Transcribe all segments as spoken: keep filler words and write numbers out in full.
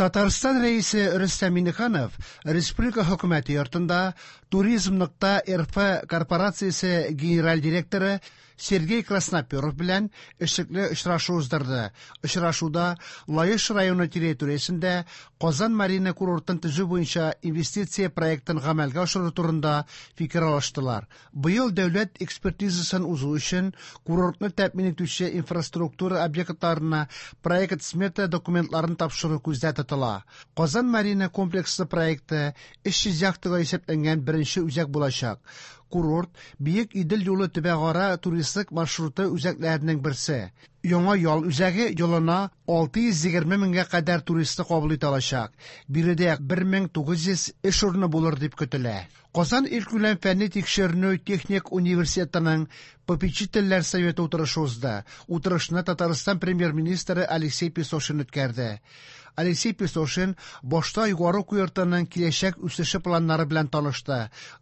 Татарстан Рәисе Рөстәм Миңнеханов Республика Хөкүмәте йортында Туризм нокта РФ корпорациясе генераль директоры Сергей Красноперов белән эшлекле очрашу уздырды. Очрашуда Лаеш районы территориясендә Казан Марина курортын төзү буенча инвестиция проектын гамәлгә ашыру турында фикер алыштылар. Быел дәүләт экспертизасын узу өчен курортны тәэмин итүче инфраструктура объектларына проект-смета документларын тапшыру күздә тотыла. Казан Марина комплексы проекты өч йөз яхтага исәпләнгән беренче үзәк булачак. Курорт Биек Идел юлы төбәкара туристлык маршруты үзәкләренең берсе. Яңа ял үзәге елына алты йөз егерме меңгә кадәр туристны кабул итә алачак. Биредә бер мең тугыз йөз эш урыны булыр дип көтелә. Казан илкүләм фәнни тикшеренү техник университетының попечительләр советы утырышы узды. Утырышны Татарстан премьер-министры Алексей Песошин үткәрде. Алексей Песошин башта югары уку йортының киләчәк үсеше планнары белән танышты,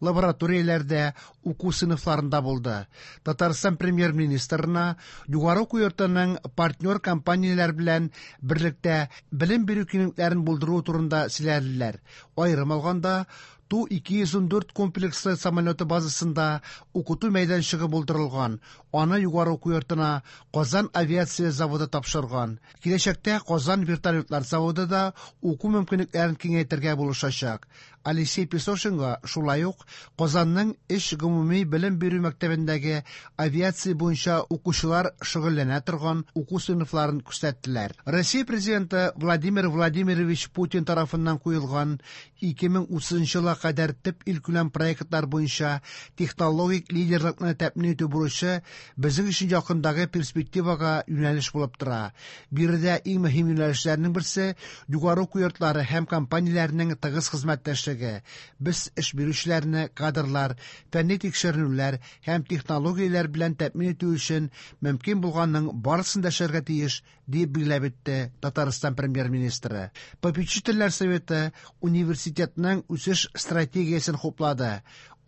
лабораторияләрдә, уку сыйныфларында булды. Татарстан премьер-министрына югары уку йортының партнер компанияләр белән берлектә белем бирү киңлекләрен булдыру турында сөйләделәр. Аерым алганда, Ту ике йөз ун дүрт комплекслы самолеты базасында укыту мәйданчыгы булдырылган. Аны югары уку йортына Казан авиация заводы тапшырган. Киләчәктә Казан вертолетлар заводы да уку мөмкинлекләрен киңәйтергә булышачак. Алексей Песошинга шулай ук Казанның өч гомуми белем бирү мәктәбендәге авиация буенча укучылар шөгыльләнә торган уку сыйныфларын күрсәттеләр. Россия президенты Владимир Владимирович Путин тарафыннан куелган ике мең утызынчы елга кадәр төп илкүләм проектлар буенча технологик лидерлыкны тәэмин итү бурычы безнең өчен якындагы перспективага юнәлеш булып тора. Биредә иң мөһим юнәлешләрнең берсе югары уку йортлары һәм компанияләрнең тыгыз хезмәттәшлеге. Без эш бирүчеләрне кадрлар, фәнни тикшеренүләр һәм технологияләр белән тәэмин итү өчен мөмкин булганның барысын да эшләргә тиеш, дип билгеләп үтте Татарстан премьер-министры. Попечительләр советы университетның үсеш стратегиясен хуплады.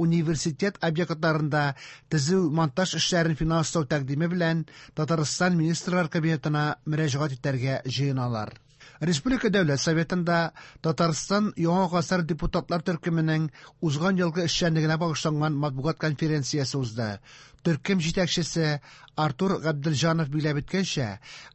Университет объектларында төзү монтаж эшләрен финанслау тәкъдиме белән Татарстан Министрлар Кабинетына мөрәҗәгать итәргә җыеналар. Республика Дәүләт Советында Татарстан Яңа гасыр депутатлар төркеменең узган елгы эшчәнлегенә багышланган матбугат конференциясе узды. Төркем җитәкчесе Артур Габделҗанов билгеләп үткәнчә,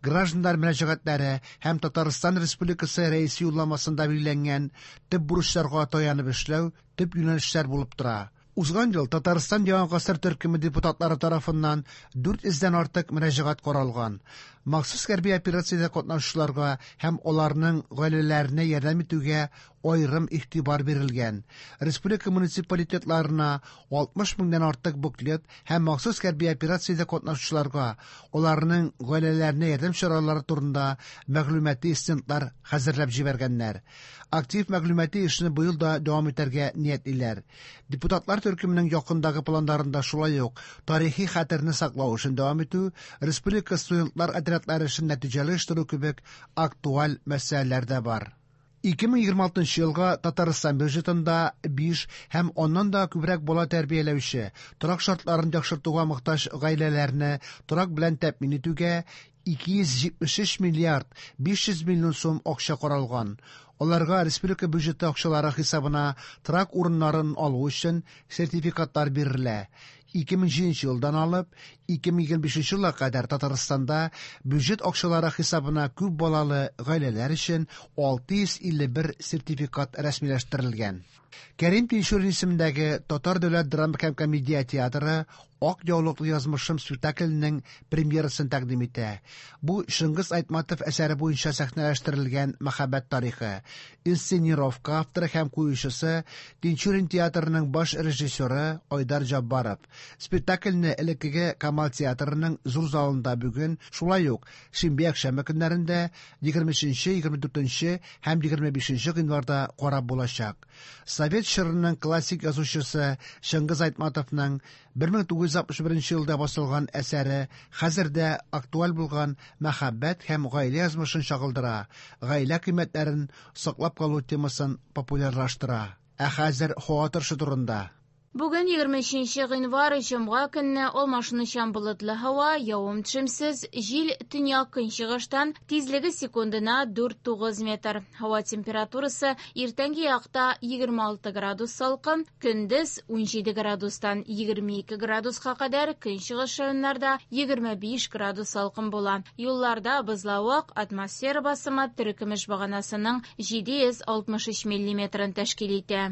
гражданнар мөрәҗәгатьләре һәм Татарстан Республикасы Рәисе юлламасында билгеләнгән төп бурычларга таянып эшләү төп юнәлешләр булып тора. Узган ел Татарстан Яңа гасыр төркеме депутатлары тарафыннан дүрт йөздән артык мөрәҗәгать каралган. Махсус хәрби операциядә катнашучыларга һәм аларның гаиләләренә ярдәм итүгә аерым игътибар бирелгән. Республика муниципалитетларына алтмыш меңнән артык буклет һәм махсус хәрби операциядә катнашучыларга аларның гаиләләренә ярдәм чаралары турында мәгълүмати стендлар хәзерләп җибәргәннәр. Актив мәгълүмати эшне быел да дәвам итәргә ниятлиләр. Депутатлар төркеменең якындагы планнарында шулай ук тарихи хәтерне саклау эшен дәвам итү, республика студентлар отрядлары эшен нәтиҗәле оештыру кебек актуаль мәсьәләләр дә бар. Ике мең егерме алтынчы елга Татарстан бюджетында биш һәм аннан да күбрәк бала тәрбияләүче, торак шартларын яхшыртуга мохтаҗ гаиләләрне торак белән тәэмин итүгә ике йөз җитмеш өч миллиард биш йөз миллион сум акча каралган. Аларга республика бюджеты акчалары хисабына торак урыннарын алу өчен сертификатлар бирелә. Ике мең җиденче елдан алып ике мең егерме бишенче елга кадәр Татарстанда бюджет акчалары хисабына күп балалы гаиләләр өчен алты йөз илле бер сертификат рәсмиләштерелгән. Кәрим Тинчурин исемендәге Татар дәүләт драма һәм комедия театры Ак яулыклы язмышым спектакленең премьерасын тәкъдим итә. Бу Чыңгыз Айтматов әсәре буенча сәхнәләштерелгән мәхәббәт тарихы. Инсценировка авторы һәм куючысы Тинчурин театрының баш режиссеры Айдар Җаббаров. Спектакльне элеккеге Камал театрының зур залында бүген, шулай ук шимбә якшәмбе көннәрендә егерме өченче, егерме дүртенче һәм егерме бишенче гыйнварда карап булачак. Совет чорының классик язучысы Чыңгыз Айтматовның бер мең тугыз йөз алтмыш беренче елда басылган әсәре хәзер дә актуаль булган мәхәббәт һәм гаилә язмышын чагылдыра, гаилә кыйммәтләрен саклап калу темасын популярлаштыра. Ә хәзер һава торышы турында. Бүген егерме өченче гыйнвар, җомга көнне алмашынучан болытлы һава, явым-төшемсез, җил төньяк-көнчыгыштан, тизлеге секундына дүрт-тугыз метр. Һава температурасы иртәнге якта егерме алты градус салкын, көндез унҗиде градустан егерме ике градуска кадәр, көнчыгыш районнарда егерме биш градус салкын була. Юлларда бозлавык, атмосфера басымы терекөмеш баганасының җиде йөз алтмыш өч миллиметрын тәшкил итә.